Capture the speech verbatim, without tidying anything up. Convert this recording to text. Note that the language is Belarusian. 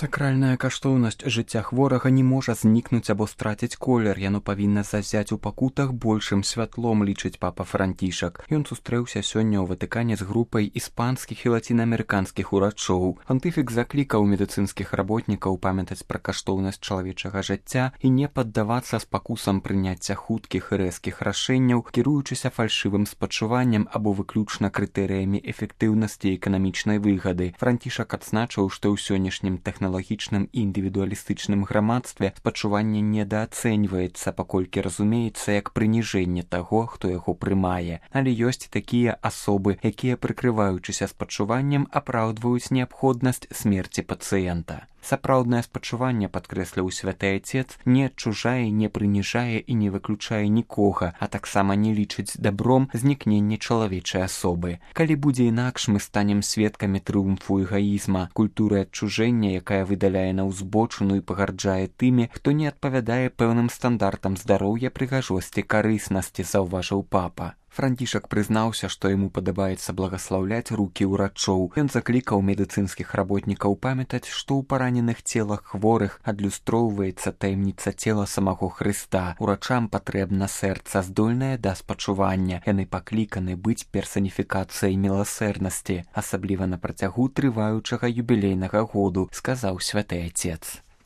Сакральная каштоўнасць жыцця хворага не можа знікнуць або страціць колер, яно павінна зазяць у пакутах большым святлом, лічыць папа Францішак. Ён сустрэўся сёння ў Ватыкане з групай іспанскіх і лацінаамерыканскіх урачоў. Пантыфік заклікаў медыцынскіх работнікаў памятаць пра каштоўнасць чалавечага жыцця і не паддавацца спакусам прыняцця хуткіх і рэзкіх рашэнняў, кіруючыся фальшывым спачуваннем або выключна крытэрыямі эфектыўнасці і эканамічнай выгады. Францішак адзначыў, што ў сённяшнім тэхналагічным тэхналагічным і індывідуалістычным грамадстве спачуванне недаацэньваецца, паколькі разумеецца як прыніжэнне таго, хто яго прымае. Але ёсць такія асобы, якія, прыкрываючыся спачуваннем, апраўдваюць неабходнасць смерці пацыента. Сапраўднае спачуванне, падкрэсліў святы Айцец, не адчужае, не прыніжае і не выключае нікога, а таксама не лічыць дабром знікненне чалавечай асобы. Калі будзе інакш, мы станем сведкамі трыумфу эгаізма, культуры адчужэння, якая выдаляе на ўзбочыну і пагарджае тымі, хто не адпавядае пэўным стандартам здароўя, прыгажосці, карыснасці, заўважыў папа. Францішак прызнаўся, што яму падабаецца благаслаўляць рукі ўрачоў. Ён заклікаў медыцынскіх работнікаў памятаць, што ў параненых целах хворых адлюстроўваецца таямніца цела самого Хрыста. Урачам патрэбна сэрца, здольнае да спачування. Яны пакліканы быць персаніфікацыяй міласэрнасці, асабліва на працягу трываючага юбілейнага году, сказаў святы Айцец.